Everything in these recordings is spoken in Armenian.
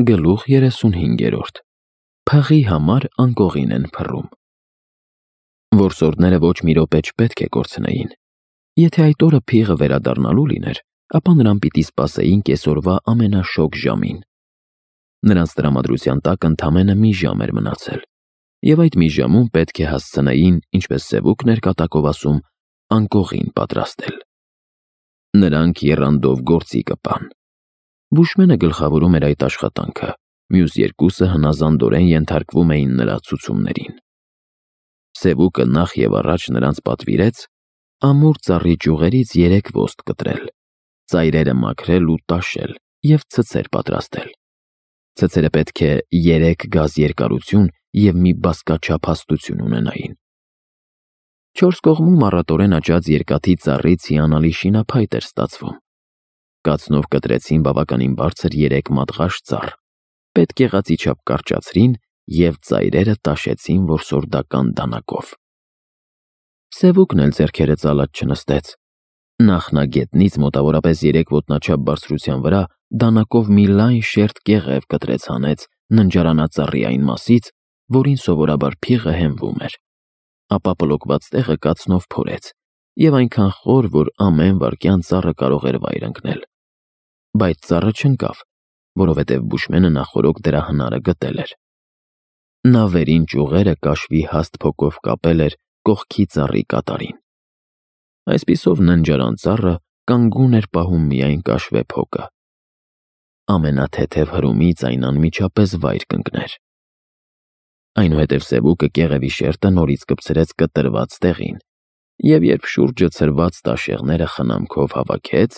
Գլուխ 35. Փղի համար անկողին են փռում։ Որսորդները ոչ մի րոպե չպետք է կորցնեին։ Եթե այդ օրը փիղը վերադառնալու լիներ, ապա նրան պիտի սպասեին կեսօրվա ամենաշոգ ժամին։ Նրանց տրամադրության տակ ընդամենը մի ժամ էր մնացել, և այդ մի ժամում պետք է հասցնեին, ինչպես Սևուկն էր կատակով ասում, անկողին պատրաստել։ Նրանք եռանդով գործի կպան։ Բուշմենը գլխավորում էր այդ աշխատանքը, մյուս երկուսը հնազանդորեն ենթարկվում էին նրա ցուցումներին։ Սևուկը նախ և առաջ նրանց պատվիրեց ամուր ծառի ճյուղերից 3 ոստ կտրել, ծայրերը մաքրել ու տաշել և ցցեր պատրաստել։ Ցցերը պետք է 3 գազ երկարություն և մի բազկաչափ հաստություն ունենային։ 4 կողմում առատորեն աճած երկաթի ծառից հիանալի շինափայտ էր ստացվում։ Կացնով կտրեցին բավականին բարձր 3 մատղաշ ծառ, պետք եղածի չափ կարճացրին և ծայրերը տաշեցին որսորդական դանակով։ Սևուկն էլ ձեռքերը ծալած չնստեց։ Նախնագետնից մոտավորապես 3 ոտնաչափ բարձրության վրա դանակով մի լայն շերտ կեղև կտրեց հանեց ննջարանածառի այն մասից, որին սովորաբար փիղը հենվում էր, ապա պլոկված տեղը կացնով փորեց և այնքան խոր, որ ամեն վայրկյան ծառը կարող էր վայր ընկնել։ Բայց ծառը չընկավ, որովհետև Բուշմենը նախօրոք դրա հնարը գտել էր։ Նա վերին ճյուղերը կաշվի հաստ փոկով կապել էր կողքի ծառի կատարին։ Այսպիսով ննջարան ծառը կանգուն էր պահում միայն կաշվե փոկը։ Ամենաթեթև հրումից այն անմիջապես վայր կընկներ։ Այնուհետև Սևուկը կեղևի շերտը նորից կպցրեց կտրված տեղին, և երբ շուրջը ցրված տաշեղները խնամքով հավաքեց,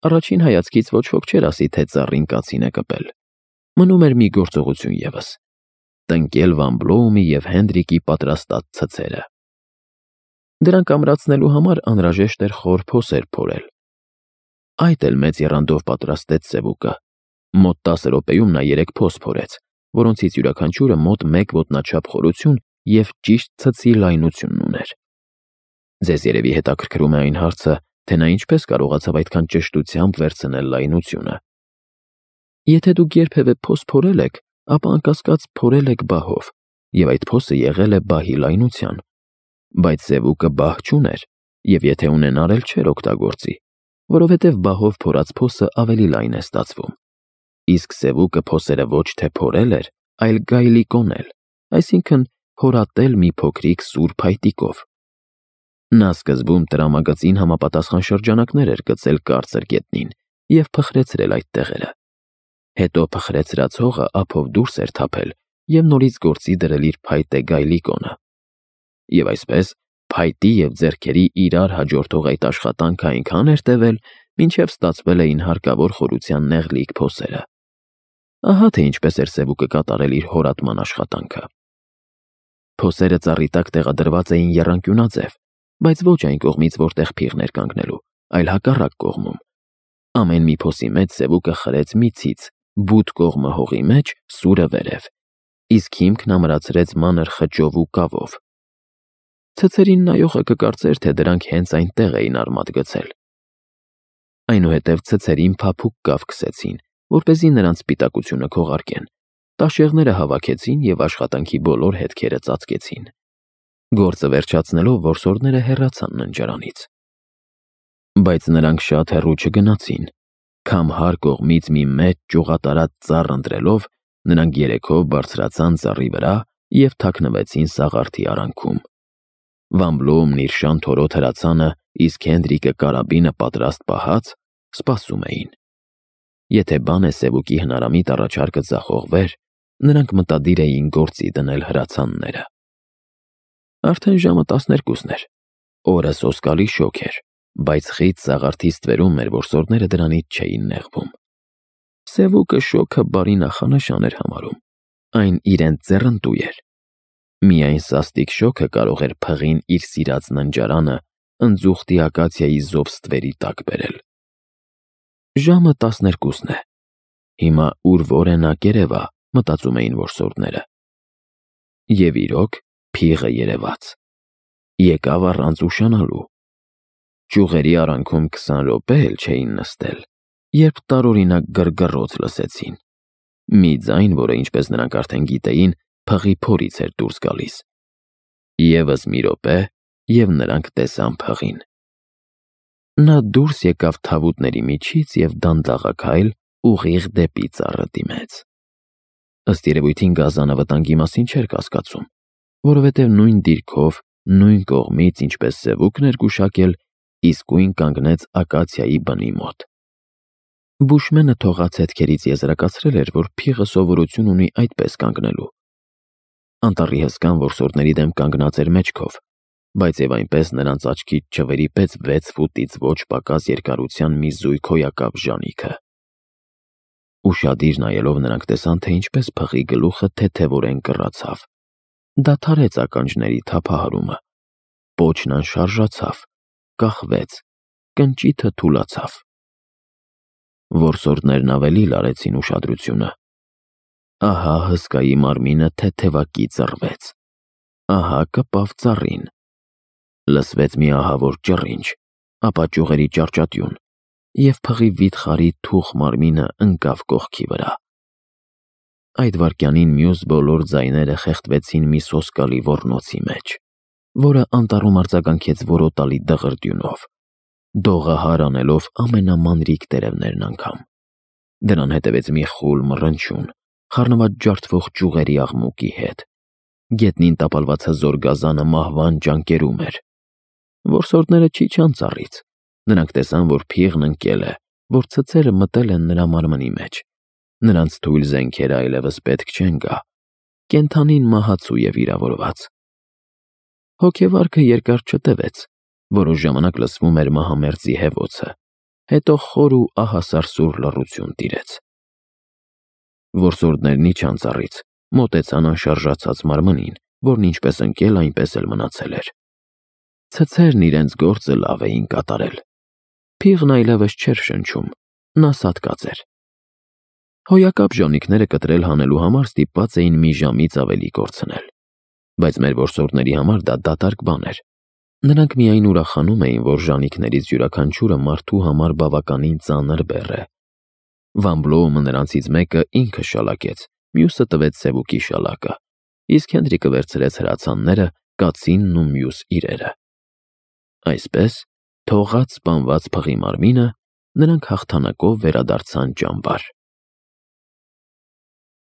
առաջին հայացքից ոչ ոք չէր ասի, թե ծառին կացին է կպել։ Մնում էր մի գործողություն ևս՝ տնկել Վան Բլոումի և Հենդրիկի պատրաստած ցցերը։ Դրանք ամրացնելու համար անհրաժեշտ էր խոր փոսեր փորել։ Այդ էլ մեծ եռանդով պատրաստեց Սևուկը։ Մոտ 10 րոպեում նա 3 փոս փորեց, որոնցից յուրաքանչյուրը մոտ 1 ոտնաչափ խորություն և ճիշտ ցցի լայնությունն ուներ։ Ձեզ երևի հետաքրքրում է այն հարցը, թե նա ինչպես կարողացավ այդքան ճշտությամբ վերցնել լայնությունը։ Եթե դուք երբևէ փոս փորել եք, ապա անկասկած փորել եք բահով, և այդ փոսը եղել է բահի լայնության։ Բայց Սևուկը բահ չուներ, և եթե ունենար էլ չէր օգտագործի, որովհետև բահով փորած փոսը ավելի լայն է ստացվում։ Իսկ Սևուկը փոսերը ոչ թե փորել էր, այլ գայլի կոնել, այսինքն հորատել մի փոքրիկ սուր փայտիկով։ Նա սկզբում տրամագծին համապատասխան շրջանակներ էր գծել կարծր գետնին և փխրեցրել այդ տեղերը։ Հետո փխրեցրած հողը ափով դուրս էր թափել և նորից գործի դրել իր փայտե գայլի կոնը։ Եվ այսպես փայտի և ձեռքերի իրար հաջորդող այդ աշխատանքը այնքան էր տևել, մինչև ստացվել էին հարկավոր խորության նեղլիկ փոսերը։ Ահա թե ինչպես էր Սևուկը կատարել իր հորատման աշխատանքը։ Փոսերը ծառի տակ տեղադրված էին եռանկյունաձև, բայց ոչ այն կողմից, որտեղ փիղն էր կանգնելու, այլ հակառակ կողմում։ Ամեն մի փոսի մեջ Սևուկը խրեց միցից, բութ կողմը հողի մեջ, սուրը վերև, իսկ հիմքն ամրացրեց մանր խճով ու կավով։ Ցցերին նայողը կկարծեր, թե դրանք հենց այնտեղ էին արմատ գցել։ Այնուհետև ցցերին փափուկ կավ քսեցին, որպեսզի նրանց սպիտակությունը քողարկեն, տաշեղները հավաքեցին և աշխատանքի բոլոր հետքերը ծածկեցին։ Գործը վերջացնելով որսորդները հեռացան ննջարանից։ Բայց նրանք շատ հեռու չգնացին։ Քամհար կողմից մի մեծ ճյուղատարած ծառ ընտրելով, նրանք երեքով բարձրացան ծառի վրա և թաքնվեցին սաղարթի արանքում։ Վան Բլոումն իր շան-թորոտ հրացանը, իսկ Հենդրիկը կարաբինը պատրաստ պահած, սպասում էին։ Եթե բան է Սևուկի հնարամիտ առաջարկը ձախողվեր, նրանք մտադիր էին գործի դնել հրացանները։ Արդեն ժամը 12-ն էր։ Օրը սոսկալի շոգ էր, բայց խիտ սաղարթի ստվերում մեր որսորդները դրանից չէին նեղվում։ Սևուկը շոգը բարի նախանշան էր համարում։ Այն իրենց ձեռնտու էր։ Միայն սաստիկ շոգը կարող էր փղին իր սիրած ննջարանը ընձուղտի ակացիայի զով ստվերի տակ բերել։ Ժամը 12-ն է։ Հիմա ուր որ է նա կերևա, մտածում էին որսորդները։ Եվ իրոք, փիղը երևաց։ Եկավ առանց ուշանալու։ Ճյուղերի արանքում 20 րոպե էլ չէին նստել, երբ տարօրինակ գրգռոց լսեցին։ Մի ձայն, որը ինչպես նրանք արդեն գիտեին, փղի փորից էր դուրս գալիս։ Եվս մի րոպե, և նրանք տեսան փղին։ Նա դուրս եկավ թավուտների միջից և դանդաղաքայլ ուղիղ դեպի ծառը դիմեց։ Ըստ երևույթին գազանը վտանգի մասին չէր կասկածում, որովհետև նույն դիրքով, նույն կողմից, ինչպես սևուկն էր գուշակել, իսկույն կանգնեց ակացիայի բնի մոտ։ Բուշմենը թողած հետքերից եզրակացրել էր, որ փիղը սովորություն ունի այդպես կանգնելու։ Անտառի հսկան որսորդների դեմ կանգնած էր մեջքով, բայց և այնպես նրանց աչքից չվրիպեց 6 ֆուտից ոչ պակաս երկարության մի զույգ հոյակապ ժանիքը։ Ուշադիր նայելով նրանք տեսան, թե ինչպես փղի գլուխը թեթևորեն կռացավ, դադարեց ականջների թափահարումը, պոչն անշարժացավ, կախվեց, կնճիթը թուլացավ։ Որսորդներն ավելի լարեցին ուշադրությունը։ Ահա հսկայի մարմինը թեթևակի ծռվեց, ահա կպավ ծառին։ Լսվեց մի ահավոր ճռինչ, ապա ճյուղերի ճարճատյուն, և փղի վիթխարի թուխ մարմինը ընկավ կողքի վրա։ Այդ վայրկյանին մյուս բոլոր ձայները խեղդվեցին մի սոսկալի ոռնոցի մեջ, որը անտառում արձագանքեց որոտալի դղրդյունով, դողահար անելով ամենամանրիկ տերևներն անգամ։ Դրան հետևեց մի խուլ մռնչյուն, խառնված ջարդվող ճյուղերի աղմուկի հետ։ Գետնին տապալված հզոր գազանը մահվան ճանկերում էր։ Որսորդները չիջան ծառից։ Նրանք տեսան, որ փիղն ընկել է, որ ցցերը մտել են նրա մարմնի մեջ։ Նրանց թույլ զենքերը այլևս պետք չեն գա։ Կենդանին մահացու և վիրավորված։ Հոգեվարքը երկար չտևեց, որոշ ժամանակ լսվում էր մահամերձի հևոցը, հետո խոր ու ահասարսուռ լռություն տիրեց։ Որսորդներն իջան ծառից, մոտեցան անշարժացած մարմնին, որն ինչպես ընկել, այնպես էլ մնացել էր։ Ցցերն իրենց գործը լավ էին կատարել։ Փիղն այլևս չէր շնչում, նա սատկած էր։ Հոյակապ ժանիքները կտրել հանելու համար ստիպված էին մի ժամից ավելի կորցնել։ Բայց մեր որսորդների համար դա դատարկ բան էր։ Նրանք միայն ուրախանում էին, որ ժանիքներից յուրաքանչյուրը մարդու համար բավականին ծանր բեռ է։ Վան Բլոումը նրանցից մեկը ինքը շալակեց, մյուսը տվեց սևուկի շալակը, իսկ Հենրիկը վերցրեց հրացանները, կացինն ու մյուս իրերը։ Այսպես, թողած սպանված փղի մարմինը, նրանք հաղթանակով վերադարձան ճամբար։